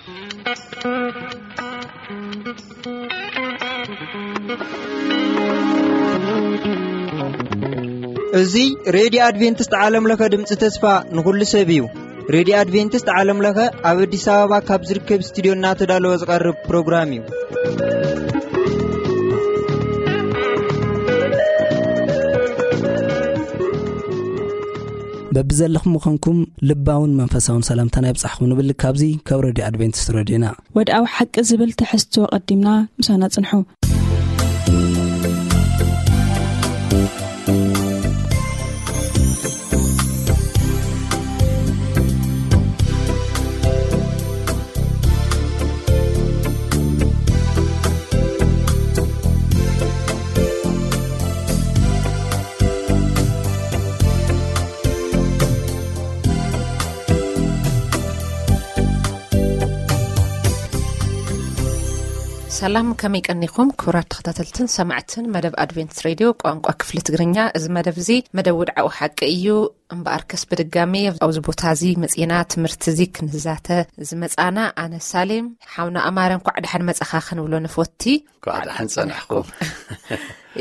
እዚ ሬድዮ ኣድቬንቲስት ዓለም ለኸ ድምፂ ተስፋ ንኹሉ ሰብ እዩ። ሬድዮ ኣድቬንቲስት ዓለም ለኸ ኣብ ኣዲስ ኣበባ ካብ ዝርከብ ስቱዲዮ እናተዳለወ ዝቐርብ ፕሮግራም እዩ። በብዘለኹም ምዃንኩም ልባውን መንፈሳውን ሰላምታና ይብጻሕኹም ንብል። ካብዚ ካብ ሬድዮ ኣድቬንቲስት ሬድዮና። ወድኣዊ ሓቂ ዝብል ትሕዝቶ ቀዲምና ምሳና ጽንሑ። ሰላም፣ ከመይ ቀኒኹም ክቡራት ተኸታተልትን ሰማዕትን መደብ ኣድቬንት ሬድዮ ቋንቋ ክፍሊ ትግርኛ? እዚ መደብ እዚ መደብ ውድዓዊ ሓቂ እዩ። እምበኣርከስ ብድጋሚ ኣብዚ ቦታ እዚ መጺና ትምህርቲ እዚ ክንዛተ ዝመጻና ኣነ ሳሌም፣ ሓውና ኣማረ እንኳዕ ደሓን መጻኻ ክንብሎ ንፈቲ። እንኳዕ ደሓን ጸናሕኩም።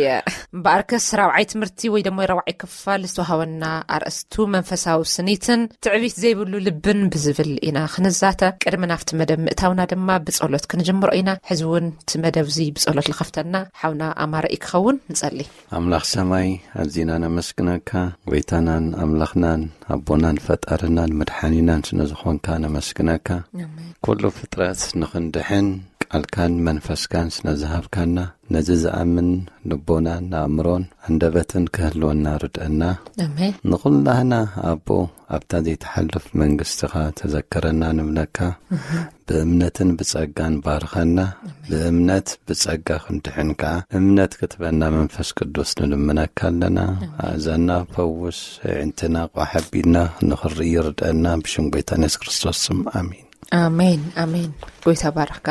ያ፣ እምበኣርከስ ራብዓይ ትምህርቲ ወይ ደሞ ራብዓይ ክፋል ዝተዋሃበና ኣርእስቱ መንፈሳዊ ስኒትን ትዕቢት ዘይብሉ ልብን ብዝብል ኢና ክንዛተ። ቅድሚ ናብቲ መደብ ምእታውና ድማ ብጸሎት ክንጅምሮ ኢና። ሕዚ እውን እቲ መደብ እዚ ብጸሎት ልኸፍተና ሓውና ኣማረ እዩ ክኸውን። ንጸሊ። ኣምላኽ ሰማይ፣ ኣዚና ነመስግነካ። ጎይታናን ኣምላኽናን ኣቦናን ፈጣርናን መድሓኒናን ስለ ዝኾንካ ነመስግነካ። ኣሜን። ኩሉ ፍጥረት ንኽንድሕን ቃልካን መንፈስካን ስለ ዝሃብካና፣ ነዚ ዝኣምን ልቦናን ኣእምሮን ኣንደበትን ክህልወና ርድአና። ኣሜን። ንኹላህና ኣቦ ኣብታ ዘይትሓልፍ መንግስትኻ ተዘከረና ንብለካ። ብእምነትን ብጸጋን ባርኸና። ኣሜን። ብእምነት ብጸጋ ክንድሕን ከኣ እምነት ክትበና መንፈስ ቅዱስ ንልምነካ ኣለና። ኣሜን። ኣእዛና ፈውስ፣ ኣዒንትና ቋሕ ኣቢልና ንኽርኢ ርድአና፣ ብሽም ጎይታና የሱስ ክርስቶስ ስም፣ ኣሜን። ኣሜን፣ ኣሜን። ጎይታ ባርኽካ።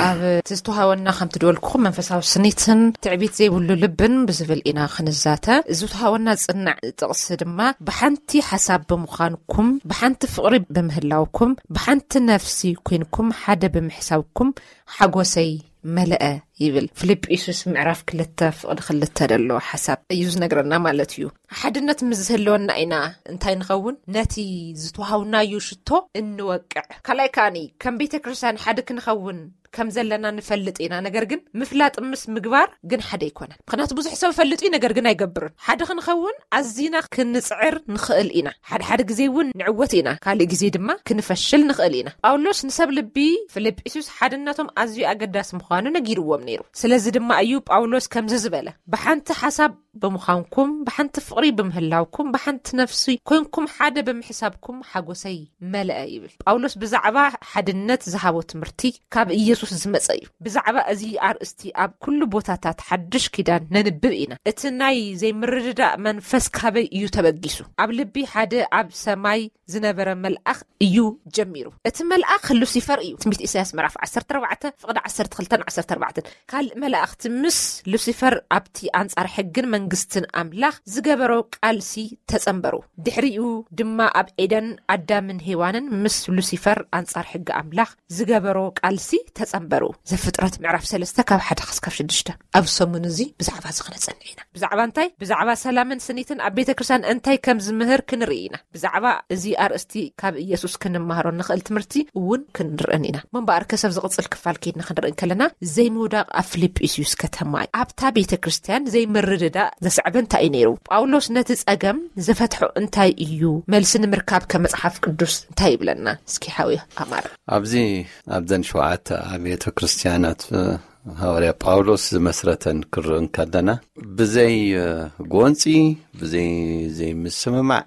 ኣብ እቲ ዝተዋሃበና፣ ከምቲ ድበልኩኹም፣ መንፈሳዊ ስኒትን ትዕቢት ዘይብሉ ልብን ብዝብል ኢና ክንዛተ። እዚ ዝተዋሃበና ዝጽናዕ ጥቕሲ ድማ፣ ብሓንቲ ሓሳብ ብምዃንኩም፣ ብሓንቲ ፍቕሪ ብምህላውኩም፣ ብሓንቲ ነፍሲ ኮይንኩም፣ ሓደ ብምሕሳብኩም፣ ሓጎሰይ መለአ ይብል። ፊልጵስዩስ ምዕራፍ ክልተ ፍቕዲ ክልተ ዘሎ ሓሳብ እዩ ዝነግረና ማለት እዩ። ሓድነት ምስ ዝህልወና ኢና እንታይ ንኸውን? ነቲ ዝተዋሃብናዮ ሽቶ እንወቅዕ። ካልኣይ ከኣኒ፣ ከም ቤተ ክርስቲያን ሓደ ክንኸውን ከም ዘለና ንፈልጥ ኢና። ነገር ግን ምፍላጥ ምስ ምግባር ግን ሓደ ኣይኮነን። ምኽንያቱ ብዙሕ ሰብ ይፈልጥ እዩ፣ ነገር ግን ኣይገብርን። ሓደ ክንኸውን ኣዚና ክንጽዕር ንኽእል ኢና። ሓደ ሓደ ግዜ እውን ንዕወት ኢና፣ ካልእ ግዜ ድማ ክንፈሽል ንኽእል ኢና። ጳውሎስ ንሰብ ልቢ ፊልጵስዩስ ሓድነቶም ኣዝዩ ኣገዳሲ ምዃኑ ነጊርዎም ነይሩ። ስለዚ ድማ እዩ ጳውሎስ ከምዚ ዝበለ፣ ብሓንቲ ሓሳብ ብምዃንኩም፣ ብሓንቲ ፍቕሪ ብምህላውኩም፣ ብሓንቲ ነፍሲ ኮይንኩም፣ ሓደ ብምሕሳብኩም ሓጎሰይ መለአ ይብል። ጳውሎስ ብዛዕባ ሓድነት ዝሃቦ ትምህርቲ ካብ ኢየሱስ ዝመጸ እዩ። ብዛዕባ እዚ ኣርእስቲ ኣብ ኩሉ ቦታታት ሓድሽ ኪዳን ነንብብ ኢና። እቲ ናይ ዘይምርድዳእ መንፈስ ካበይ እዩ ተበጊሱ? ኣብ ልቢ ሓደ ኣብ ሰማይ ዝነበረ መልኣኽ እዩ ጀሚሩ። እቲ መልኣኽ ሉሲፈር እዩ። ትንቢት ኢሳያስ ምዕራፍ ዓሰርተ ኣርባዕተ ፍቕዲ ዓሰርተ ክልተን ዓሰርተ ኣርባዕተን። ካልእ መላእኽቲ ምስ ሉሲፈር ኣብቲ ኣንጻር ሕግን መንግስትን ኣምላኽ ዝገበሮ ቃልሲ ተጸንበሩ። ድሕሪኡ ድማ ኣብ ኤደን ኣዳምን ሄዋንን ምስ ሉሲፈር ኣንጻር ሕጊ ኣምላኽ ዝገበሮ ቃልሲ ተጸንበሩ። ዘፍጥረት ምዕራፍ ሰለስተ ካብ ሓደ ክሳብ ሽዱሽተ። ኣብ ሰሙን እዚ ብዛዕባ እዚ ክነጸንዕ ኢና። ብዛዕባ እንታይ? ብዛዕባ ሰላምን ስኒትን ኣብ ቤተ ክርስቲያን እንታይ ከም ዝምህር ክንርኢ ኢና። ብዛዕባ እዚ ኣርእስቲ ካብ ኢየሱስ ክንመሃሮ ንኽእል ትምህርቲ እውን ክንርእን ኢና። ምንባር ከሰብ ዝቕጽል ክፋል ከይድና ክንርኢ እንከለና፣ ዘይምውዳቕ ኣብ ፊልጵስዩስ ከተማ ኣብታ ቤተ ክርስቲያን ዘይምርድዳእ ዘስዕበ እንታይ እዩ ነይሩ? ጳውሎስ ነቲ ጸገም ዝፈትሖ እንታይ እዩ? መልሲ ንምርካብ ከመጽሓፍ ቅዱስ እንታይ ይብለና? እስኪ ሓውየ ኣማር። ኣብዚ ኣብዘን ሸውዓተ ኣብያተ ክርስቲያናት ሃዋርያ ጳውሎስ ዝመስረተን ክርኢ እንከለና፣ ብዘይ ጎንፂ፣ ብዘይ ዘይምስምማዕ፣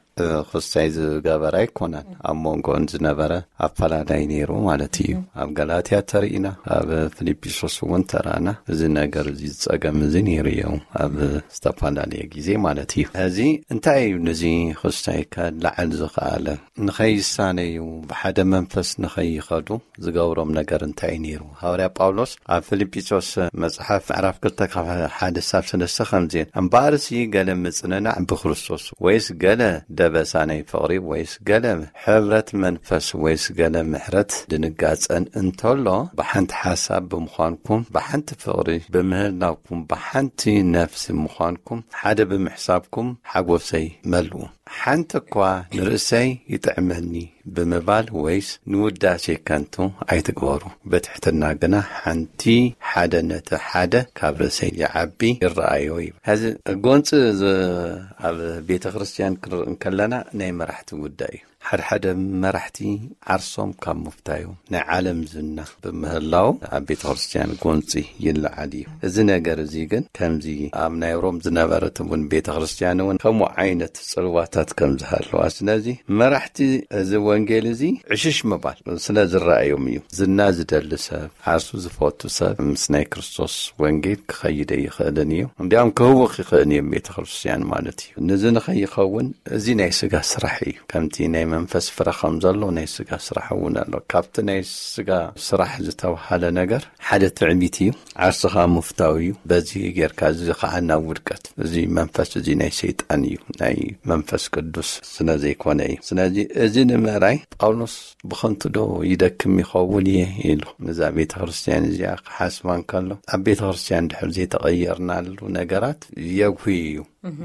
ክስታይ ዝገበረ ኣይኮነን። ኣብ መንጎን ዝነበረ ኣፈላላይ ነይሩ ማለት እዩ። ኣብ ገላትያ ተርኢና፣ ኣብ ፊልጵስዩስ እውን ተራና። እዚ ነገር እዚ፣ ዝፀገም እዚ ነይሩ እዩ ኣብ ዝተፈላለየ ግዜ ማለት እዩ። እዚ እንታይ እዩ? ነዚ ክስታይ ከላዕል ዝኸኣለ፣ ንኸይሳነዩ፣ ብሓደ መንፈስ ንኸይኸዱ ዝገብሮም ነገር እንታይ እዩ ነይሩ? ሃዋርያ ጳውሎስ ኣብ ፊልጵስዩስ መጽሓፍ ምዕራፍ ክልተ ካብ ሓደ ሳብ ሰለስተ ከምዚ፣ እምበኣርሲ ገለ ምጽንናዕ ብክርስቶስ ወይስ ገለ በሳ ናይ ፍቕሪ ወይስ ገለ ሕብረት መንፈስ ወይስ ገለ ምሕረት ድንጋጸን እንተሎ፣ ብሓንቲ ሓሳብ ብምዃንኩም፣ ብሓንቲ ፍቕሪ ብምህላውኩም፣ ብሓንቲ ነፍሲ ምዃንኩም፣ ሓደ ብምሕሳብኩም ሓጎሰይ መልኡ። ሓንቲ እኳ ንርእሰይ ይጥዕመኒ ብምባል ወይስ ንውዳሴ ከንቱ ኣይትግበሩ። ብትሕትና ግና ሓንቲ ሓደ ነቲ ሓደ ካብ ርእሰይ ይዓቢ ይረኣዮ እዩ። ሕዚ ጎንፂ ዝ-፣ ኣብ ቤተ ክርስቲያን ክንርኢ እንከለና ናይ መራሕቲ ጉዳይ እዩ። ሓድሓደ መራሕቲ ዓርሶም ካብ ምፍታዮም ናይ ዓለም ዝና ብምህላው ኣብ ቤተ ክርስቲያን ጎንፂ ይለዓል እዩ። እዚ ነገር እዚ ግን ከምዚ ኣብ ናይ ሮም ዝነበረት እውን ቤተ ክርስቲያን እውን ከምኡ ዓይነት ጽልዋታት ከም ዝሃለዋ፣ ስለዚ መራሕቲ እዚ ወንጌል እዚ ዕሽሽ ምባል ስለ ዝረኣዮም እዩ። ዝና ዝደሊ ሰብ፣ ዓርሱ ዝፈቱ ሰብ ምስ ናይ ክርስቶስ ወንጌል ክኸይድ ኣይኽእልን እዩ። እንዲያውም ክህውኽ ይኽእል እዩ ቤተ ክርስቲያን ማለት እዩ። ነዚ ንኸይኸውን እዚ ናይ ስጋ ስራሕ እዩ። ከምቲ ናይ መንፈስ ፍረ ከም ዘሎ ናይ ስጋ ስራሕ እውን ኣሎ። ካብቲ ናይ ስጋ ስራሕ ዝተባሃለ ነገር ሓደ ትዕቢት እዩ። ዓርስኻ ምፍታው እዩ። በዚ ጌርካ እዚ ከዓ ናብ ውድቀት። እዚ መንፈስ እዚ ናይ ሰይጣን እዩ፣ ናይ መንፈስ ቅዱስ ስለ ዘይኮነ እዩ። ስለዚ እዚ ንምእራይ ጳውሎስ ብኸንቱ ዶ ይደክም ይኸውን እየ ኢሉ ነዛ ቤተ ክርስቲያን እዚኣ ክሓስባ እንከሎ፣ ኣብ ቤተ ክርስቲያን ድሕር ዘይተቐየርናሉ ነገራት የጉሂ እዩ።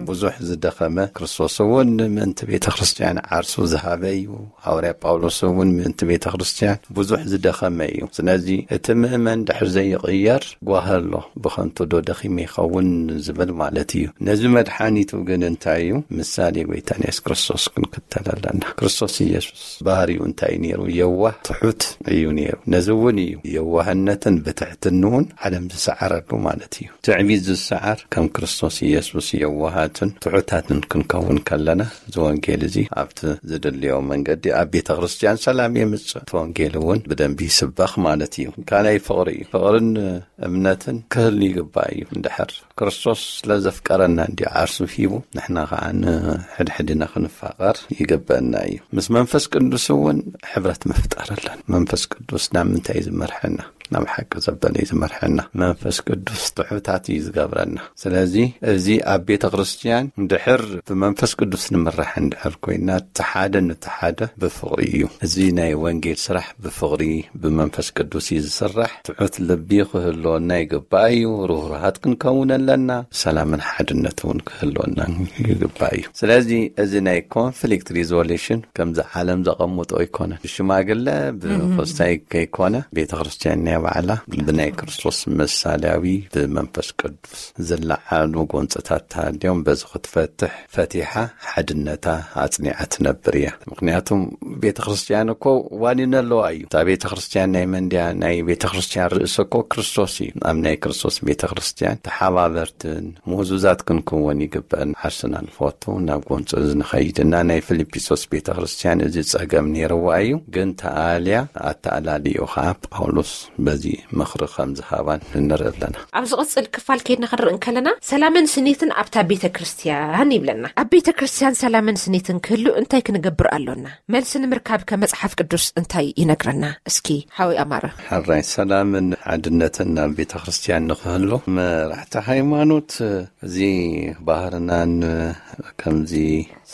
ብዙሕ ዝደኸመ፣ ክርስቶስ እውን ምእንቲ ቤተ ክርስቲያን ዓርሱ ዝሃበ እዩ። ሃዋርያ ጳውሎስ እውን ምእንቲ ቤተ ክርስቲያን ብዙሕ ዝደኸመ እዩ። ስለዚ እቲ ምእመን ድሕር ዘይቕየር ጓሂ ኣሎ፣ ብኸንቱ ዶ ደኺመ ይኸውን ዝብል ማለት እዩ። ነዚ መድሓኒቱ ግን እንታይ እዩ? ምሳሌ ጎይታና የሱስ ክርስቶስ ክንክተል ኣለና። ክርስቶስ ኢየሱስ ባህሪኡ እንታይ ነይሩ? የዋህ ትሑት እዩ ነይሩ። ነዚ እውን እዩ የዋህነትን ብትሕትንውን ዓለም ዝሰዓረሉ ማለት እዩ። ትዕቢት ዝሰዓር ከም ክርስቶስ ኢየሱስ የዋሃትን ትሑታትን ክንከውን ከለና እዚ ወንጌል እዚ ኣብቲ ዝድልዮ መንገዲ ኣብ ቤተ ክርስቲያን ሰላም የምጽእ። እቲ ወንጌል እውን ብደንቢ ይስበኽ ማለት እዩ። ካልኣይ ፍቕሪ እዩ። ፍቕርን እምነትን ክህሉ ይግባእ እዩ። እንድሕር ክርስቶስ ስለ ዘፍቀረና እንዲ ዓርሱ ሂቡ፣ ንሕና ከዓ ንሕድሕድና ክንፋቐር ይግበአና እዩ። ምስ መንፈስ ቅዱስ እውን ሕብረት ምፍጣር ኣለን። መንፈስ ቅዱስ ናብ ምንታይ እዩ ዝመርሐና? ናብ ሓቂ ዘበለ እዩ ዝመርሐና። መንፈስ ቅዱስ ትሑታት እዩ ዝገብረና። ስለዚ እዚ ኣብ ቤተ ክርስቲያን እንድሕር ብመንፈስ ቅዱስ ንምራሕ እንድሕር ኮይና፣ እቲ ሓደ ነቲ ሓደ ብፍቕሪ እዩ። እዚ ናይ ወንጌል ስራሕ ብፍቕሪ ብመንፈስ ቅዱስ እዩ ዝስራሕ። ትሑት ልቢ ክህልወና ይግባእ እዩ። ርህሩሃት ክንከውን ኣለና። ሰላምን ሓድነት እውን ክህልወና ይግባእ እዩ። ስለዚ እዚ ናይ ኮንፍሊክት ሪዞሉሽን ከምዚ ዓለም ዘቐምጦ ኣይኮነን። ብሽማግለ ብኮስታይ ከይኮነ ቤተ ክርስቲያን ናይ ባዕላ ብናይ ክርስቶስ ምሳሌያዊ ብመንፈስ ቅዱስ ዝለዓሉ ጎንፅታት ተሃልዮም በዚ ክትፈትሕ ፈቲሓ ሓድነታ ኣጽኒዓ ትነብር እያ። ምክንያቱም ቤተ ክርስቲያን እኮ ዋኒን ኣለዋ እዩ። እታ ቤተ ክርስቲያን ናይ መን ድያ? ናይ ቤተ ክርስቲያን ርእሲ እኮ ክርስቶስ እዩ። ኣብ ናይ ክርስቶስ ቤተ ክርስቲያን ተሓባበርትን ምሁዙዛት ክንክወን ይግበአን። ዓርስና ንፈቱ፣ ናብ ጎንፂ ንኸይድ እና ናይ ፊልጵስዩስ ቤተ ክርስቲያን እዚ ጸገም ነይርዋ እዩ፣ ግን ተኣልያ ኣተኣላልዮ ከዓ ጳውሎስ በዚ ምኽሪ ከም ዝሃባን ንርኢ ኣለና። ኣብ ዝቕጽል ክፋል ከይድና ክንርኢ እንከለና ሰላምን ስኒትን ኣብታ ቤተ ክርስቲያን ይብለና። ኣብ ቤተ ክርስቲያን ሰላምን ስኒትን ክህሉ እንታይ ክንገብር ኣሎና? መልሲ ንምርካብ ከ መጽሓፍ ቅዱስ እንታይ ይነግረና? እስኪ ሓወይ ኣማረ። ሕራይ ሰላምን ሓድነትን ናብ ቤተ ክርስቲያን ንክህሉ መራሕቲ ሃይማኖት እዚ ባህርናን ከምዚ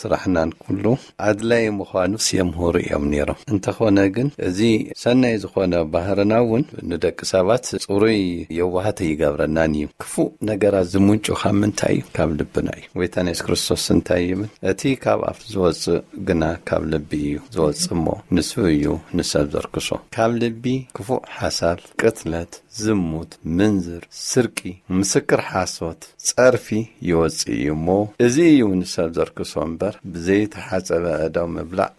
ስራሕናን ኩሉ ኣድላይ ምዃኑስ የምህሩ እዮም ነይሮም። እንተኾነ ግን እዚ ሰናይ ዝኾነ ባህርና እውን ንደቂ ሰባት ጽሩይ የዋሃት ይገብረናን እዩ። ክፉእ ነገራት ዝምንጩ ካብ ምንታይ እዩ? ካብ ልብና እዩ። ጎይታና የሱስ ክርስቶስ እንታይ ይብል? እቲ ካብ ኣፍ ዝወጽእ ግና ካብ ልቢ እዩ ዝወጽእ እሞ ንሱ እዩ ንሰብ ዘርክሶ። ካብ ልቢ ክፉእ ሓሳብ፣ ቅትለት፣ ዝሙት፣ ምንዝር፣ ስርቂ፣ ምስክር ሓሶት፣ ጸርፊ ይወጽእ እዩ እሞ፣ እዚ እዩ ንሰብ ዘርክሶ እምበር፣ ብዘይተሓጸበ ኣእዳው ምብላዕ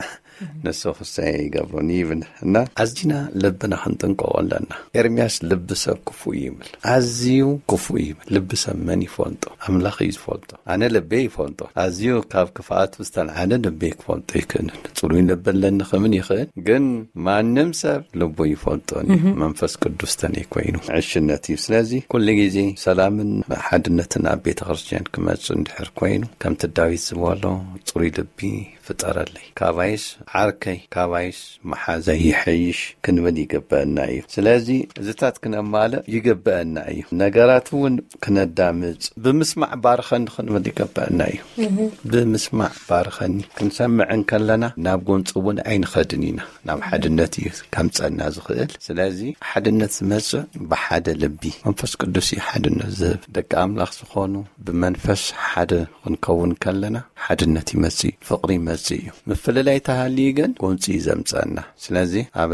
ንሱ ክሳይ ይገብሩን ይብል። እና ኣዚና ልብና ክንጥንቀቆ ኣለና። ኤርምያስ ልቢ ሰብ ክፉእ እዩ ይብል። ኣዝዩ ክፉእ እዩ ይብል። ልቢ ሰብ መን ይፈልጦ? ኣምላኽ እዩ ዝፈልጦ። ኣነ ልበይ ይፈልጦ። ኣዝዩ ካብ ክፍኣቱ ዝተልዓለ ልበይ ክፈልጦ ይክእልን። ጽሩይ ልቢ ኣለኒ ክምን ይኽእል፣ ግን ማንም ሰብ ልቡ ይፈልጦን እዩ። መንፈስ ቅዱስ ተነይ ኮይኑ ዕሽነት እዩ። ስለዚ ኩሉ ግዜ ሰላምን ሓድነትን ኣብ ቤተ ክርስቲያን ክመጽእ እንድሕር ኮይኑ፣ ከምቲ ዳዊት ዝበሎ ጽሩይ ልቢ ፍጠረለይ፣ ካባይስ ዓርከይ ካባይስ መሓዘይ ይሐይሽ ክንብል ይግበአና እዩ። ስለዚ እዚታት ክነማልእ ይግበአና እዩ። ነገራት እውን ክነዳምጽ፣ ብምስማዕ ባርኸኒ ክንብል ይግበአና እዩ። ብምስማዕ ባርኸኒ ክንሰምዕ እንከለና ናብ ጎንፂ እውን ኣይንኸድን ኢና። ናብ ሓድነት እዩ ከምፀና ዝኽእል። ስለዚ ሓድነት ዝመፅእ ብሓደ ልቢ፣ መንፈስ ቅዱስ እዩ ሓድነት ዝህብ። ደቂ ኣምላኽ ዝኾኑ ብመንፈስ ሓደ ክንከውን ከለና ሓድነት ይመጽእ እዩ፣ ፍቕሪ ይመጽእ እዩ። ምፍልላይ ተሃልዩ ግን ጎንፂ እዩ ዘምፀና። ስለዚ ኣብ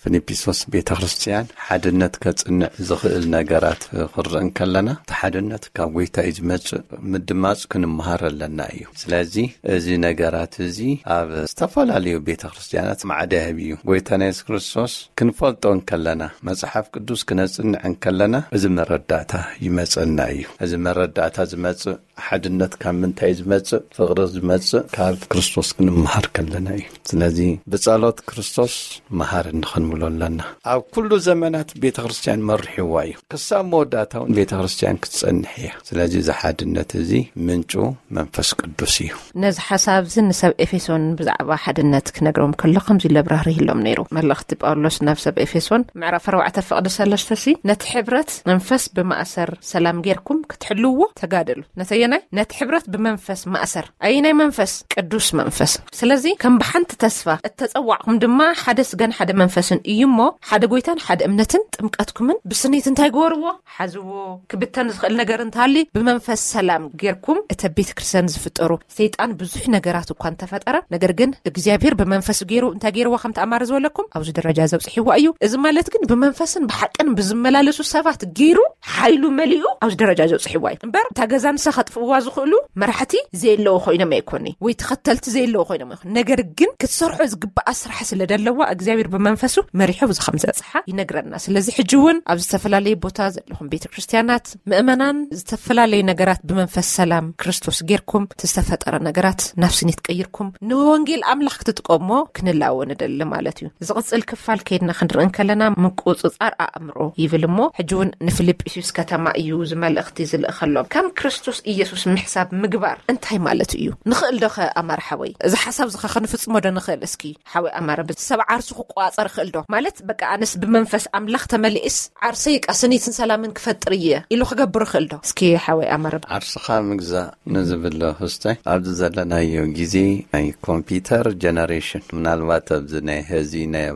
ፊልጵስዩስ ቤተ ክርስቲያን ሓድነት ከጽንዕ ዝኽእል ነገራት ክንርኢ እንከለና፣ እቲ ሓድነት ካብ ጎይታ እዩ ዝመጽእ፣ ምድማጽ ክንመሃር ኣለና እዩ። ስለዚ እዚ ነገራት እዚ ኣብ ዝተፈላለዩ ቤተ ክርስቲያናት ማዕዳ ይህብ እዩ። ጎይታና የሱስ ክርስቶስ ክንፈልጦ እንከለና፣ መጽሓፍ ቅዱስ ክነጽንዕ እንከለና፣ እዚ መረዳእታ ይመጸና እዩ። እዚ መረዳእታ ዝመጽእ ሓድነት ካብ ምንታይ ዝመጽእ? ፍቕሪ ዝመጽእ ካብ ክርስቶስ ክንመሃር ከለና እዩ። ስለዚ ብጸሎት ክርስቶስ መሃር እንኽንብሎ ኣለና። ኣብ ኩሉ ዘመናት ቤተ ክርስቲያን መሪሕዋ እዩ። ክሳብ መወዳእታ እውን ቤተ ክርስቲያን ክትጸንሕ እያ። ስለዚ እዚ ሓድነት እዚ ምንጩ መንፈስ ቅዱስ እዩ። ነዚ ሓሳብ እዚ ንሰብ ኤፌሶን ብዛዕባ ሓድነት ክነግሮም ከሎ ከምዚ ኢሉ ኣብራህርህሎም ነይሩ። መልእኽቲ ጳውሎስ ናብ ሰብ ኤፌሶን ምዕራፍ ኣርባዕተ ፍቕዲ ሰለስተ ሲ፣ ነቲ ሕብረት መንፈስ ብማእሰር ሰላም ጌርኩም ክትሕልዎ ተጋደሉ። ነተየናይ? ነቲ ሕብረት ብመንፈስ ማእሰር። ኣየናይ መንፈስ? ቅዱስ መንፈስ። ስለዚ ከም ብሓንቲ ተስፋ እተጸዋዕኩም ድማ ሓደ ስጋን ሓደ መንፈስን እዩ እሞ፣ ሓደ ጎይታን ሓደ እምነትን ጥምቀትኩምን ብስኒት እንታይ ግበርዎ? ሓዝዎ። ክብተን ዝኽእል ነገር እንተሃልዩ ብመንፈስ ሰላም ጌርኩም። እተ ቤተ ክርስቲያን ዝፍጠሩ ሰይጣን ብዙሕ ነገራት እኳ እንተፈጠረ፣ ነገር ግን እግዚኣብሔር ብመንፈስ ገይሩ እንታይ ገይርዋ ከም ተኣማሪ ዝበለኩም ኣብዚ ደረጃ ዘብፅሕዋ እዩ። እዚ ማለት ግን ብመንፈስን ብሓቅን ብዝመላለሱ ሰባት ገይሩ ሓይሉ መሊኡ ኣብዚ ደረጃ ዘብፅሕዋ እዩ። እምበር እታ ገዛ ንሳ ከጥፍእዋ ዝኽእሉ መራሕቲ ዘየለዎ ኮይኖም ኣይኮኒ ወይ ተኸተልቲ ዘየለዎ ኮይኖም ኣይኮን። ነገር ግን ክትሰርሖ ዝግባኣ ስራሕ ስለ ደለዋ እግዚኣብሔር ብመንፈሱ መሪሖ እዚ ከም ዘብፅሓ ይነግረና። ስለዚ ሕጂ እውን ኣብ ዝተፈላለየ ቦታ ዘለኹም ቤተ ክርስቲያናት ምእመናን ዝተፈላለዩ ነገራት ብመንፈስ ሰላም ክርስቶስ ጌርኩም ዝተፈጠረ ነገራት ናብ ስኒት ቀይርኩም ንወንጌል ኣምላኽ ክትጥቀሞ ክንላዎ ንደሊ ማለት እዩ። ዝቕጽል ክፋል ከይድና ክንርኢ እንከለና ምቁጽጻር ኣእምሮ ይብል እሞ፣ ሕጂ እውን ንፊልጵስዩስ ከተማ እዩ እዚ መልእኽቲ ዝልእኸሎም። ከም ክርስቶስ ኢየሱስ ምሕሳብ ምግባር እንታይ ማለት እዩ? ንኽእል ዶ ኸ ኣማር ሓወይ? እዚ ሓሳብ እዚ ኸ ክንፍጽሞ ዶ ንኽእል? እስኪ ሓወይ ኣማረ፣ ሰብ ዓርሱ ክቆጻጸር ይኽእል ዶ? ማለት በቃ ኣነስ ብመንፈስ ኣምላኽ ተመሊእስ ዓርሰይ ቃ ስኒትን ሰላምን ክፈጥር እየ ኢሉ ክገብር ይኽእል ዶ? እስኪ ሓወይ ኣማረ። ዓርስኻ ምግዛእ ንዝብል ክስታይ ኣብዚ ዘለናዮ ግዜ ናይ ኮምፒውተር ጀነሬሽን፣ ምናልባት ኣብዚ ናይ ሀዚ ናይ፣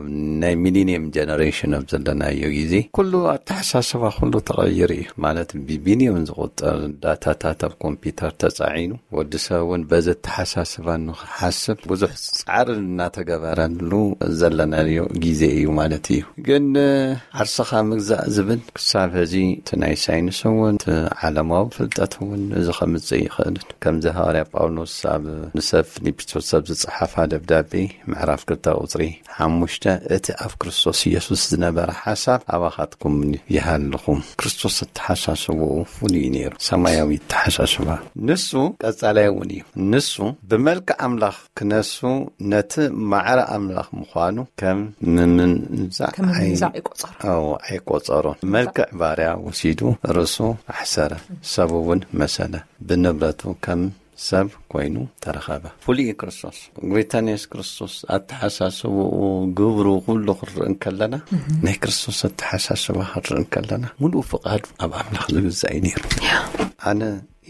ናይ ሚሊኒየም ጀነሬሽን ኣብ ዘለናዮ ግዜ ኩሉ ኣተሓሳስባ ኩሉ ተቐይሩ እዩ። ማለት ብቢሊዮን ዝቑጠር ዳታታት ኣብ ኮምፒውተር ተጻዒኑ ወዲ ሰብ እውን በዚ ኣተሓሳስባ ንኽሓስብ ብዙሕ ጻዕሪ እናተገበረሉ ዘለናዮ ግዜ እዩ ማለት እዩ። ግን ዓርስኻ ምግዛእ ዝብል ክሳብ ሕዚ እቲ ናይ ሳይንስ እውን እቲ ዓለማዊ ፍልጠት እውን እዚ ከምጽእ ይኽእልን። ከምዚ ሃዋርያ ጳውሎስ ኣብ ንሰብ ፊልጵስዩስ ኣብ ዝጸሓፋ ደብዳቤ ምዕራፍ ክልተ ቁጽሪ ሓሙሽተ፣ እቲ ኣብ ክርስቶስ ኢየሱስ ዝነበረ ሓሳብ ኣባኻትኩም ይሃልኹም። ክርስቶስ ኣተሓሳስብኡ ፍሉይ እዩ ነይሩ። ሰማያዊ ኣተሓሳስባ። ንሱ ቀጻላይ እውን እዩ። ንሱ ብመልክዕ ኣምላኽ ክነሱ ነቲ ማዕረ ኣምላኽ ምዃኑ ከም ምምንዛዕ ከም ምምንዛዕ ኣይ-፣ ኣይቆጸሮን። ኣዎ፣ ኣይቆጸሮን። መልክዕ ባርያ ወሲዱ ርእሱ ኣሕሰረ፣ ሰብ እውን መሰለ፣ ብንብረቱ ከም ሰብ ኮይኑ ተረኸበ። ፍሉይ እዩ ክርስቶስ። ጎይታና የሱስ ክርስቶስ ኣተሓሳስብኡ፣ ግብሩ፣ ኩሉ ክንርኢ እንከለና፣ ናይ ክርስቶስ ኣተሓሳስባ ክንርኢ እንከለና፣ ሙሉእ ፍቓዱ ኣብ ኣምላኽ ዝግዛእ እዩ ነይሩ። ኣነ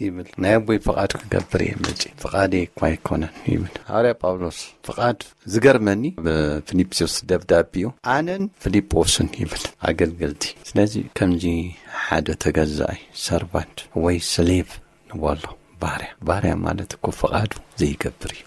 ይብል፣ ናይ ኣቦይ ፍቓድ ክገብር እየ መጺእ፣ ፍቓደይ እኳ ኣይኮነን ይብል ሃዋርያ ጳውሎስ። ፍቓድ ዝገርመኒ ብፊልጵስዩስ ደብዳቤኡ ኣነን ፊልጶስን ይብል ኣገልገልቲ። ስለዚ ከምዚ ሓደ ተገዛኢ ሰርቫንት ወይ ስሌቭ ንበሎ፣ ባርያ። ባርያ ማለት እኮ ፍቓዱ ዘይገብር እዩ።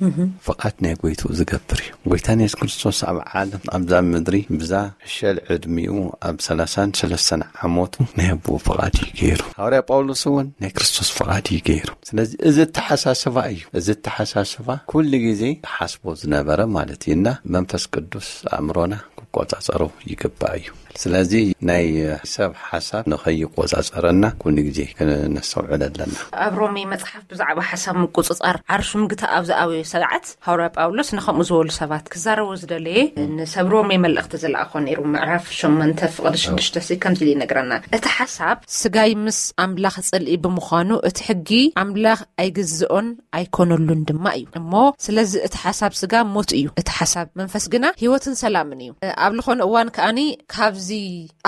ፍቓድ ናይ ጎይትኡ ዝገብር እዩ። ጎይታና የሱስ ክርስቶስ ኣብ ዓለም ኣብዛ ምድሪ ብዛ ሕሸል ዕድሚኡ ኣብ ሰላሳን ሰለስተን ዓመቱ ናይ ኣቦኡ ፍቓድ እዩ ገይሩ። ሃዋርያ ጳውሎስ እውን ናይ ክርስቶስ ፍቓድ እዩ ገይሩ። ስለዚ እዚ ኣተሓሳስባ እዩ። እዚ ኣተሓሳስባ ኩሉ ግዜ ሓስቦ ዝነበረ ማለት እዩ። እና መንፈስ ቅዱስ ኣእምሮና ቆጻጸሮ ይግባእ እዩ። ስለዚ ናይ ሰብ ሓሳብ ንኸይቆጻጸረና ኩሉ ግዜ ክነስተውዕል ኣለና። ኣብ ሮሜ መጽሓፍ ብዛዕባ ሓሳብ ምቁጽጻር ዓርሱ ምግታእ ኣብ ዝኣበዮ ሰዓት ሃዋርያ ጳውሎስ ንኸምኡ ዝበሉ ሰባት ክዛረቦ ዝደለየ ንሰብ ሮሜ መልእኽቲ ዝለኣኾ ነይሩ። ምዕራፍ ሸሞንተ ፍቕዲ ሽዱሽተ ሲ ከምዚ ኢሉ ይነግረና። እቲ ሓሳብ ስጋይ ምስ ኣምላኽ ጽልኢ ብምዃኑ እቲ ሕጊ ኣምላኽ ኣይግዝኦን ኣይኮነሉን ድማ እዩ። እሞ ስለዚ እቲ ሓሳብ ስጋ ሞት እዩ፣ እቲ ሓሳብ መንፈስ ግና ህይወትን ሰላምን እዩ። ኣብ ዝኾነ እዋን ከኣኒ ካብዚ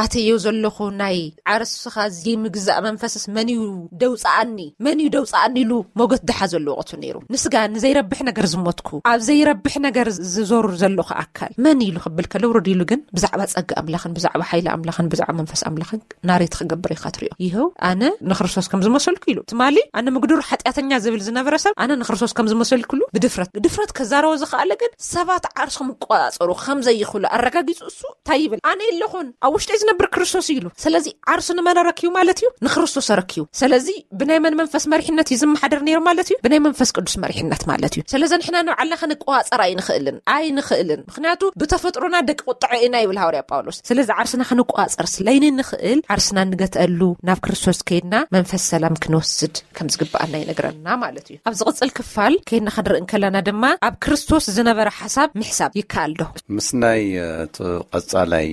ኣተዮ ዘለኹ ናይ ዓርስኻ ዘይምግዛእ መንፈስስ መን እዩ ደውፅኣኒ፣ መን እዩ ደውፅኣኒ ኢሉ ሞገት ድሓ ዘለዎ ቅቱ ነይሩ። ንስጋ ንዘይረብሕ ነገር ዝሞትኩ፣ ኣብ ዘይረብሕ ነገር ዝዞር ዘለኹ ኣካል መን ኢሉ ክብል ከሎ ውርድ ኢሉ ግን ብዛዕባ ጸጋ ኣምላኽን ብዛዕባ ሓይሊ ኣምላኽን ብዛዕባ መንፈስ ኣምላኽን ናሬት ክገብር ኢኻ ትሪኦ። ይኸው ኣነ ንክርስቶስ ከም ዝመሰልኩ ኢሉ ትማሊ ኣነ ምግዱር ሓጢኣተኛ ዝብል ዝነበረ ሰብ ኣነ ንክርስቶስ ከም ዝመሰልኩሉ ብድፍረት ድፍረት ከዛረቦ ዝኸኣለ ግን ሰባት ዓርስኹም ይቆጻጸሩ ከም ዘይኽእሉ ኣረጋጊጹ እሱ እንታይ ይብል? ኣነ የለኹን ኣብ ውሽጢ ዝነብር ክርስቶስ እዩ ኢሉ። ስለዚ ዓርሱ ንመን ኣረክዩ ማለት እዩ? ንክርስቶስ ኣረክዩ። ስለዚ ብናይ መን መንፈስ መሪሕነት እዩ ዝመሓደር ነይሩ ማለት እዩ? ብናይ መንፈስ ቅዱስ መሪሕነት ማለት እዩ። ስለዚ ንሕና ንባዕልና ክንቆጻጸር ኣይንኽእልን ኣይንኽእልን። ምክንያቱ ብተፈጥሮና ደቂ ቁጥዐ ኢና ይብል ሃዋርያ ጳውሎስ። ስለዚ ዓርስና ክንቆጻጸር ስለይንንኽእል ዓርስና ንገትአሉ ናብ ክርስቶስ ከይድና መንፈስ ሰላም ክንወስድ ከም ዝግብኣና ይነግረና ማለት እዩ። ኣብ ዝቕጽል ክፋል ከይድና ክንርኢ እንከለና ድማ ኣብ ክርስቶስ ዝነበረ ሓሳብ ምሕሳብ ይከኣል ዶ? ምስ ናይ እቲ ቀጻላይ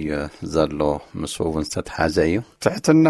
ዘሎ ምስ እውን ዝተተሓዘ እዩ። ትሕትና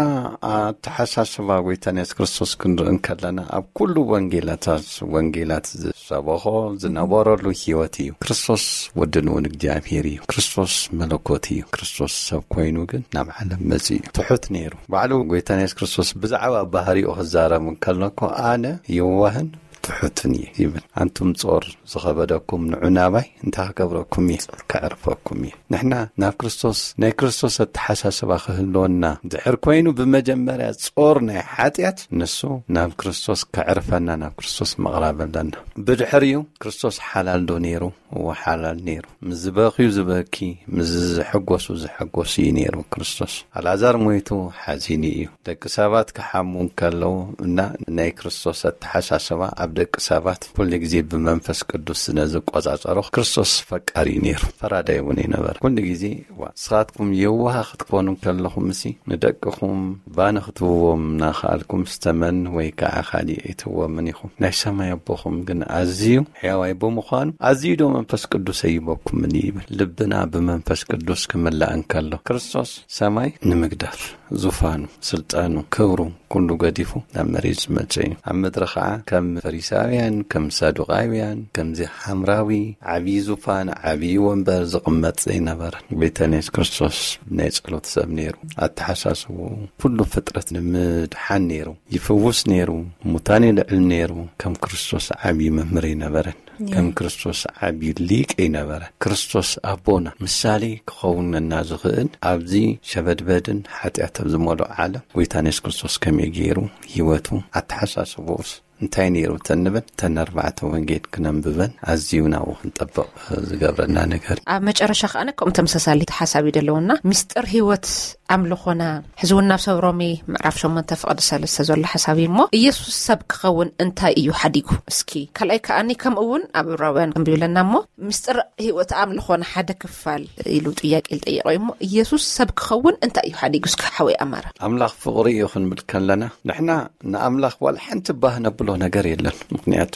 ኣተሓሳስባ ጎይታና የሱስ ክርስቶስ ክንርኢ እንከለና ኣብ ኩሉ ወንጌላታት ወንጌላት ዝሰበኾ ዝነበረሉ ህይወት እዩ። ክርስቶስ ወዲ ንውን እግዚኣብሔር እዩ። ክርስቶስ መለኮት እዩ። ክርስቶስ ሰብ ኮይኑ ግን ናብ ዓለም መጽእ እዩ። ትሑት ነይሩ። ባዕሉ ጎይታና የሱስ ክርስቶስ ብዛዕባ ባህሪኡ ክዛረብ እንከሎ እኮ ኣነ የዋህን ትሑትን እየ ይብል። ኣንቱም ጾር ዝኸበደኩም ንዑ ናባይ እንታይ ክገብረኩም እየ? ከዕርፈኩም እየ። ንሕና ናብ ክርስቶስ ናይ ክርስቶስ ኣተሓሳስባ ክህልወና ድሕር ኮይኑ ብመጀመርያ ጾር ናይ ሓጢኣት ንሱ ናብ ክርስቶስ ከዕርፈና ናብ ክርስቶስ ምቕራብ ኣለና። ብድሕሪኡ ክርስቶስ ሓላል ዶ ነይሩ? እወ ሓላል ነይሩ። ምስ ዝበኽዩ ዝበኪ፣ ምስ ዝሕጎሱ ዝሕጎስ እዩ ነይሩ ክርስቶስ። ኣልዓዛር ሞይቱ ሓዚኑ እዩ። ደቂ ሰባት ክሓሙ እንከለዉ እና ናይ ክርስቶስ ኣተሓሳስባ ኣብ ደቂ ሰባት ኩሉ ግዜ ብመንፈስ ቅዱስ ስለ ዝቆጻጸሮ ክርስቶስ ፈቃሪ እዩ ነይሩ። ፈራዳይ እውን ይነበረ። ኩሉ ግዜ እዋ ንስኻትኩም የዋሃ ክትኮኑ እንከለኹም እሲ ንደቅኹም ባኒ ክትብዎም እናኸኣልኩም ስተመን ወይ ከዓ ካሊእ ኣይትብዎምን ኢኹም። ናይ ሰማይ ኣቦኹም ግን ኣዝዩ ሕያዋይ ብምዃኑ ኣዝዩ ዶ መንፈስ ቅዱስ ኣይበኩምን ይብል። ልብና ብመንፈስ ቅዱስ ክምላእ እንከሎ ክርስቶስ ሰማይ ንምግዳፍ ዙፋኑ፣ ስልጣኑ፣ ክብሩ ኩሉ ገዲፉ ናብ መሬት ዝመጸ እዩ። ኣብ ምድሪ ኸዓ ከም ፈሪሳውያን፣ ከም ሳዱቃውያን፣ ከምዚ ሓምራዊ ዓብዪ ዙፋን ዓብዪ ወንበር ዝቕመጥ ዘይነበረን። ጎይታና የሱስ ክርስቶስ ናይ ጸሎት ሰብ ነይሩ። ኣተሓሳስቡ ኩሉ ፍጥረት ንምድሓን ነይሩ። ይፍውስ ነይሩ፣ ሙታን ይልዕል ነይሩ። ከም ክርስቶስ ዓብዪ መምህር ኣይነበረን። ከም ክርስቶስ ዓብዪ ሊቅ ኣይነበረ። ክርስቶስ ኣቦና ምሳሌ ክኸውነና ዝኽእል ኣብዚ ሸበድበድን ሓጢኣት ኣብ ዝመልኦ ዓለም ጎይታና የሱስ ክርስቶስ ከመይ ገይሩ ህይወቱ ኣተሓሳስቦስ እንታይ ነይሩ ተንብል ተን ኣርባዕተ ወንጌል ክነንብበን ኣዝዩ ናብኡ ክንጠብቕ ዝገብረና ነገር እዩ። ኣብ መጨረሻ ከኣ ከምኡ ተመሳሳሊ ሓሳብ እዩ ዘለውና ምስጢር ህይወት ኣምልኾና ሕዚ እውን ናብ ሰብ ሮሜ ምዕራፍ ሸሞንተ ፍቕዲ ሰለስተ ዘሎ ሓሳብ እዩ እሞ ኢየሱስ ሰብ ክኸውን እንታይ እዩ ሓዲጉ? እስኪ ካልኣይ ከኣኒ ከምኡ እውን ኣብ ዕብራውያን ክንብብ ኣለና እሞ ምስጢር ህይወት ኣምልኾና ሓደ ክፋል ኢሉ ጥያቄ ዝጠየቀ እዩ እሞ ኢየሱስ ሰብ ክኸውን እንታይ እዩ ሓዲጉ? እስኪ ሓወይ ኣማረ። ኣምላኽ ፍቕሪ እዩ ክንብል ከለና ንሕና ንኣምላኽ ዋላ ሓንቲ ባህ ነብሎ ነገር የለን። ምክንያቱ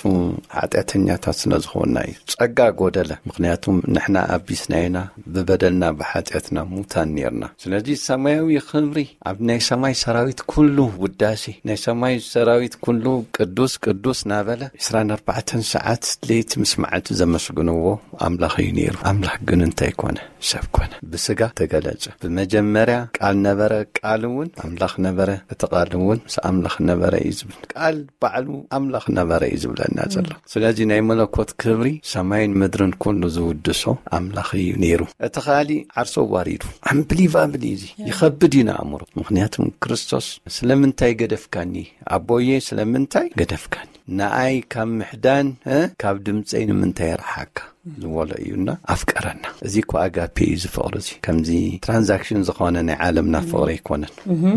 ሓጢኣተኛታት ስለ ዝኾንና እዩ። ጸጋ ጎደለ። ምክንያቱ ንሕና ኣቢስና ኢና፣ ብበደልና ብሓጢኣትና ሙታን ኔርና። ስለዚ ሰማያዊ ክብሪ ኣብ ናይ ሰማይ ሰራዊት ኩሉ ውዳሴ ናይ ሰማይ ሰራዊት ኩሉ ቅዱስ ቅዱስ ናበለ ዕስራን ኣርባዕተን ሰዓት ለይቲ ምስ መዓልቲ ዘመስግንዎ ኣምላኽ እዩ ነይሩ። ኣምላኽ ግን እንታይ ኮነ? ሰብ ኮነ። ብስጋ ተገለጸ። ብመጀመርያ ቃል ነበረ፣ ቃል እውን ኣምላኽ ነበረ፣ እቲ ቃል እውን ምስ ኣምላኽ ነበረ እዩ ዝብል። ቃል ባዕሉ ኣምላኽ ነበረ እዩ ዝብለና ዘሎ። ስለዚ ናይ መለኮት ክብሪ ሰማይን ምድርን ኩሉ ዝውድሶ ኣምላኽ እዩ ነይሩ። እቲ ካሊእ ዓርሶ ዋሪዱ ኣምብሊቫብል እዩ። እዚ ይኸብድ እዩ ንኣእምሮ። ምክንያቱ ክርስቶስ ስለምንታይ ገደፍካኒ ኣቦዬ ስለምንታይ ገደፍካኒ? ንኣይ ካብ ምሕዳን እ ካብ ድምፀይ ንምንታይ ረሓካ? ዝበሎ እዩና ኣፍቀረና። እዚ እኮ ኣጋፔ እዩ፣ ዝፍቕሪ እዚ ከምዚ ትራንዛክሽን ዝኾነ ናይ ዓለምና ፍቕሪ ኣይኮነን።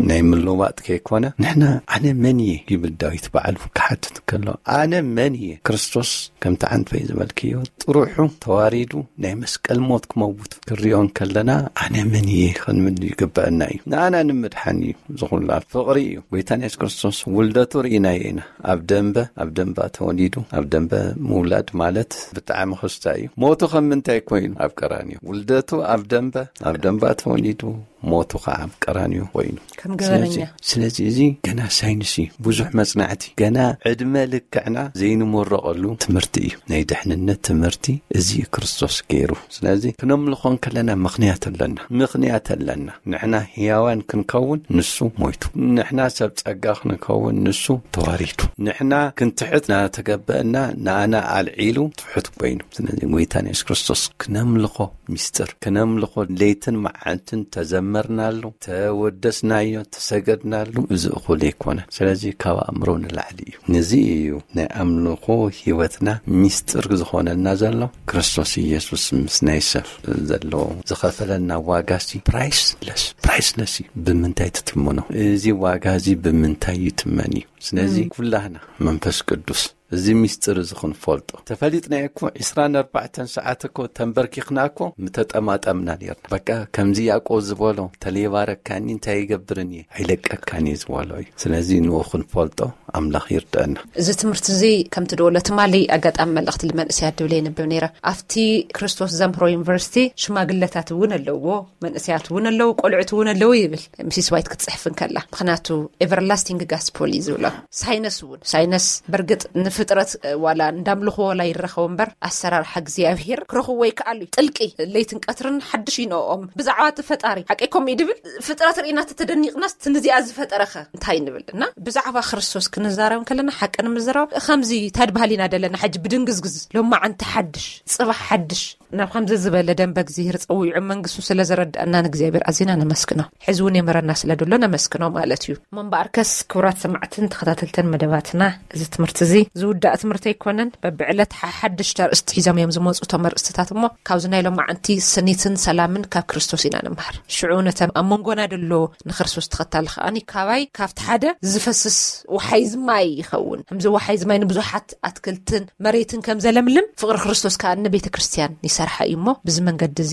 ናይ ምልውዋጥ ከይኮነ፣ ንሕና ኣነ መን እየ ይብል ዳዊት ባዕሉ ክሓትት ከሎ፣ ኣነ መን እየ? ክርስቶስ ከምቲ ዓንፈይ ዝበልክዮ ጥሩሑ ተዋሪዱ ናይ መስቀል ሞት ክመውት ክሪኦ እንከለና፣ ኣነ መን እየ ክንብል ይግበአና እዩ። ንኣና ንምድሓን እዩ ዝኹላ ፍቕሪ እዩ። ጎይታና የሱስ ክርስቶስ ውልደቱ ርኢናዮ ኢና። ኣብ ደንበ ኣብ ደንባ ተወሊዱ። ኣብ ደንበ ምውላድ ማለት ብጣዕሚ ክስታ እዩ። ሞቱ ከም ምንታይ ኮይኑ ኣብ ቀራንዮ? ውልደቱ ኣብ ደንበ ኣብ ደንባ ተወሊዱ፣ ሞቱ ከዓ ኣብ ቀራንዮ ኮይኑ። ከም ገበነኛ። ስለዚ እዚ ገና ሳይንስ እዩ፣ ብዙሕ መጽናዕቲ፣ ገና ዕድመ ልክዕና ዘይንመረቐሉ ትምህርቲ እዩ። ናይ ድሕንነት ትምህርቲ እዚ ክርስቶስ ገይሩ። ስለዚ ክነምልኾ እንከለና ምኽንያት ኣለና፣ ምኽንያት ኣለና። ንሕና ህያዋን ክንከውን ንሱ ሞይቱ፣ ንሕና ሰብ ጸጋ ክንከውን ንሱ ተዋሪዱ፣ ንሕና ክንትሕት ናተገበአና ንኣና ኣልዒሉ ትሑት ኮይኑ። ስለዚ ጎይታን የሱስ ክርስቶስ ክነምልኾ፣ ሚስጥር ክነምልኾ ለይትን መዓልትን ተዘመርናሉ፣ ተወደስናዮ፣ ተሰገድናሉ፣ እዚ እኹል ኣይኮነን። ስለዚ ካብ ኣእምሮ ንላዕሊ እዩ። ነዚ እዩ ናይ ኣምልኾ ህይወትና ሚስጥር ዝኾነልና ዘሎ። ክርስቶስ ኢየሱስ ምስ ናይ ሰብ ዘሎ ዝኸፈለና ዋጋሲ ፕራይስለስ፣ ፕራይስለስ እዩ። ብምንታይ ትትምኖ? እዚ ዋጋ እዚ ብምንታይ ይትመን እዩ? ስለዚ ኩላህና መንፈስ ቅዱስ እዚ ሚስጥር እዚ ክንፈልጦ ተፈሊጥና እኮ ዕስራን ኣርባዕተን ሰዓት እኮ ተንበርኪኽና እኮ ምተጠማጠምና ነርና። በቃ ከምዚ ያዕቆብ ዝበሎ፣ ተለይባረካኒ እንታይ ይገብርን እየ? ኣይለቀካን እየ ዝበሎ እዩ። ስለዚ ንኡ ክንፈልጦ ኣምላኽ ይርድአና። እዚ ትምህርቲ እዚ ከምቲ ደወሎ ትማሊ ኣጋጣሚ መልእኽቲ ልመንእሰያት ድብል የንብብ ነይረ። ኣብቲ ክርስቶስ ዘምህሮ ዩኒቨርሲቲ ሽማግለታት እውን ኣለዎ፣ መንእሰያት እውን ኣለዉ፣ ቆልዑት እውን ኣለዉ ይብል ሚሲስ ዋይት ክትፅሕፍ እንከላ። ምክንያቱ ኤቨርላስቲንግ ጋስፖል እዩ ዝብሎ። ሳይነስ እውን፣ ሳይነስ በርግጥ ንፍጥረት ዋላ እንዳምልኽዎ ዋላ ይረኸቡ እምበር ኣሰራርሓ እግዚኣብሔር ክረኽብዎ ይከኣሉ እዩ። ጥልቂ ለይትን ቀትርን ሓድሽ ይነኦም ብዛዕባ እቲ ፈጣሪ ሓቀይ ከምኡ እዩ ድብል። ፍጥረት ርኢና ተተደኒቕናስ እቲ ንዚኣ ዝፈጠረኸ እንታይ ንብል? እና ብዛዕባ ክርስቶስ ክንዛረብ ከለና ሓቂ ንምዝራብ ከምዚ ታድባህል ኢና ደለና። ሕጂ ብድንግዝግዝ ሎማዓንቲ ሓድሽ፣ ጽባሕ ሓድሽ ናብ ከምዚ ዝበለ ደንበ እግዚኣብሔር ጸዊዑ መንግስቱ ስለ ዘረድኣና ንእግዚኣብሔር ኣዚና ነመስግኖ። ሕዚ እውን የመረና ስለ ደሎ ነመስግኖ ማለት እዩ። እሞ እምበኣርከስ ክቡራት ሰማዕትን ተኸታተልተን መደባትና፣ እዚ ትምህርቲ እዚ ዝውዳእ ትምህርቲ ኣይኮነን። በብዕለት ሓሓድሽቲ ኣርእስቲ ሒዞም እዮም ዝመፁ እቶም ኣርእስትታት። እሞ ካብዚ ናይ ሎማዓንቲ ስኒትን ሰላምን ካብ ክርስቶስ ኢና ንምሃር። ሽዑ ነተም ኣብ መንጎና ደሎ ንክርስቶስ ተኸታሊ ከኣኒ ካባይ ካብቲ ሓደ ዝፈስስ ወሓይዝ ማይ ይኸውን። ከምዚ ወሓይዝ ማይ ንብዙሓት ኣትክልትን መሬትን ከም ዘለምልም ፍቕሪ ክርስቶስ ከኣ ንቤተ ክርስቲያን ይሰርሓ እዩ። እሞ ብዚ መንገዲ እዚ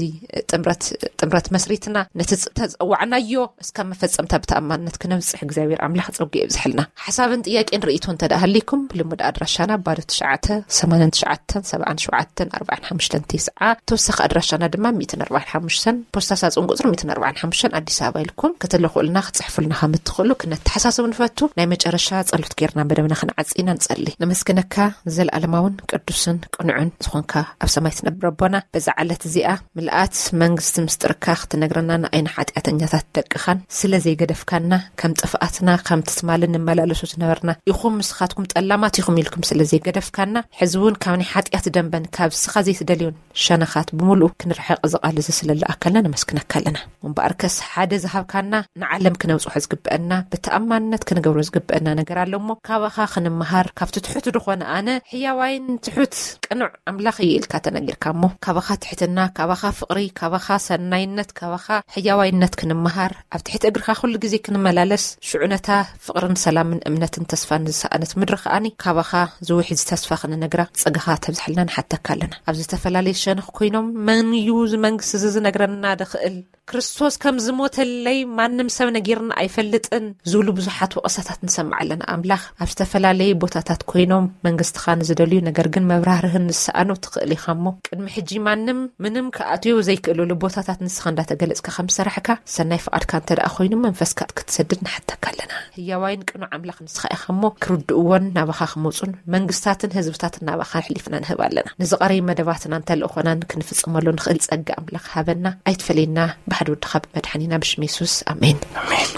ጥምረት ጥምረት መስሪትና ነቲ ተጸዋዕናዮ እስካብ መፈጸምታ ብተኣማንነት ክነብጽሕ እግዚኣብሔር ኣምላኽ ጸጉ የብዝሕልና። ሓሳብን ጥያቄን ርእይቶ እንተ ደኣ ሃሊኩም ብልሙድ ኣድራሻና ባዶ ትሽዓተ ሰማንያን ትሽዓተን ሰብዓን ሸውዓተን ኣርባዓን ሓሙሽተን ተስዓ፣ ተወሳኺ ኣድራሻና ድማ ሚእትን ኣርባዓን ሓሙሽተን ፖስታ ሳጹን ቁጽሪ ሚእትን ኣርባዓን ሓሙሽተን ኣዲስ ኣበባ ኢልኩም ክትልኹልና ክትጽሕፉልና ከም እትኽእሉ ክነተሓሳስብ ንፈቱ። ናይ መጨረሻ ጸሎት ጌርና መደብና ክንዓጽ ኢና። ንጸሊ። ነመስግነካ፣ ዘለኣለማውን ቅዱስን ቅኑዕን ዝኾንካ ኣብ ሰማይ ትነብር ኣቦና፣ በዛ ዕለት እዚኣ ምልኣት መንግስቲ ምስጢርካ ክትነግረና ንኣይና ሓጢኣተኛታት ደቅኻን ስለ ዘይገደፍካና፣ ከም ጥፍኣትና ከም ትትማልን ንመላለሱ ዝነበርና ኢኹም፣ ንስኻትኩም ጠላማት ኢኹም ኢልኩም ስለ ዘይገደፍካና፣ ሕዚ እውን ካብ ናይ ሓጢኣት ደንበን ካብ ንስኻ ዘይትደልዮን ሸነኻት ብምሉኡ ክንርሕቕ እዚ ቃል እዚ ስለ ዝለኣከልና ነመስግነካ ኣለና። እምበኣርከስ ሓደ ዝሃብካና ንዓለም ክነብጽሖ ዝግብአና ብተኣማንነት ክንገብሮ ዝግብአና ነገር ኣሎ እሞ ካባኻ ክንመሃር፣ ካብቲ ትሑት ዝኾነ ኣነ ሕያዋይን ትሑት ቅኑዕ ኣምላኽ እየ ኢልካ ተነጊርካ እሞ ካባኻ ትሕትና፣ ካባኻ ፍቕሪ፣ ካባኻ ሰናይነት፣ ካባኻ ሕያዋይነት ክንመሃር፣ ኣብ ትሕቲ እግርኻ ኩሉ ግዜ ክንመላለስ፣ ሽዑ ነታ ፍቕርን ሰላምን እምነትን ተስፋን ዝሰኣነት ምድሪ ከኣኒ ካባኻ ዝውሕዝ ተስፋ ክንነግራ ጸጋኻ ተብዝሐልና ንሓተካ ኣለና። ኣብ ዝተፈላለየ ሸነኽ ኮይኖም መን እዩ እዚ መንግስቲ እዚ ዝነግረና ድኽእል? ክርስቶስ ከም ዝሞተለይ ማንም ሰብ ነጊርና ኣይፈልጥን ዝብሉ ብዙሓት ወቐሳታት ንሰምዕ ኣለና። ኣምላኽ ኣብ ዝተፈላለየ ቦታታት ኮይኖም መንግስትኻ ንዝደልዩ ነገር ግን መብራህርህን ንሰኣኑ ትኽእል ኢኻ እሞ ቅድሚ ሕጂ ማንም ምንም ክኣትዩ ዘይክእልሉ ቦታታት ንስኻ እንዳተገለጽካ ከም ዝሰራሕካ ሰናይ ፍቓድካ እንተ ደኣ ኮይኑ መንፈስካ ክትሰድድ ንሓተካ ኣለና። ህያዋይን ቅኑዕ ኣምላኽ ንስኻ ኢኻ እሞ ክርድእዎን ናባኻ ክመጹን መንግስታትን ህዝብታትን ናባኻ ኣሕሊፍና ንህብ ኣለና። ንዝቐረዩ መደባትናን ተልእኾናን ክንፍጽመሉ ንኽእል ጸጋ ኣምላኽ ሃበና። ኣይትፈለየና። ብሓደ ወድኻ ብመድሓኒና ብሽም የሱስ። ኣሜን። ኣሜን።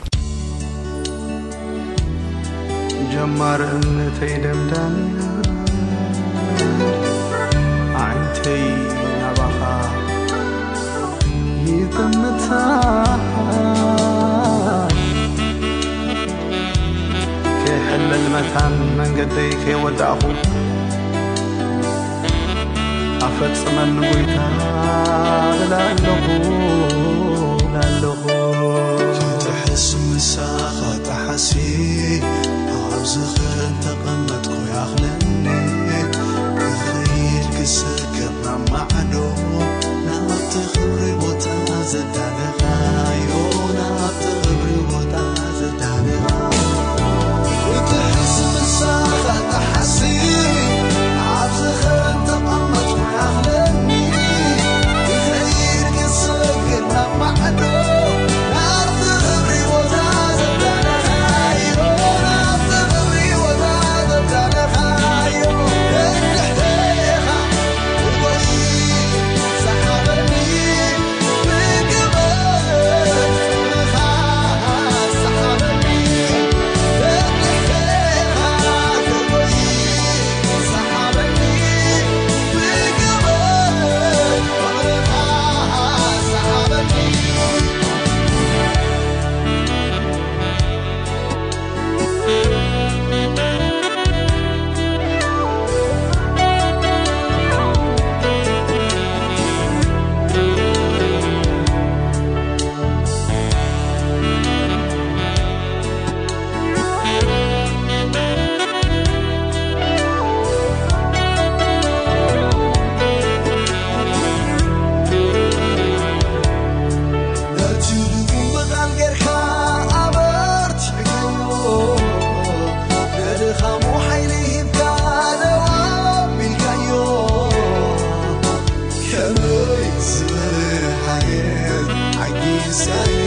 ጀማር እምነተይ ደምዳሚ ዓይንተይ ናባኻ ይጥምታ። ከይሕለል መታን መንገደይ ከይወዳእኹ ኣፈጽመኒ ጎይታ እብላለኹ እብላለኹ። ክትሕስ ምሳኻ ጠሓሲ ኣብ ዝኽርን ተቐመጥኩ ያኽለኒ። ክኸይድ ክሰግር ናብ ማዕዶ ናብቲ ክብሪ ቦታ ዘዳለኻዮ ናብቲ ክብሪ ቦታ ዘዳለኻ። ክትሕስ ምሳኻ ጠሓሲ ኣብ ዝኽርን ተቐመጥኩ ያኽለኒ። ክኸይድ ክሰግር ናብ ማዕዶ ናብቲ ክብሪ ቦታ ዘዳለኻዮ ናብቲ ክብሪ ቦታ ዘዳለኻዮ እንድሕር ኢኻ ነቲ ድጉም ብቓል ጌርካ ኣበርቲዕካዮ፣ ንድኻሙ ሓይሊ ሂብካ ደው ኣቢልካዮ። ከመይ ዝበለ ሓየት ዓጊስካዮ፣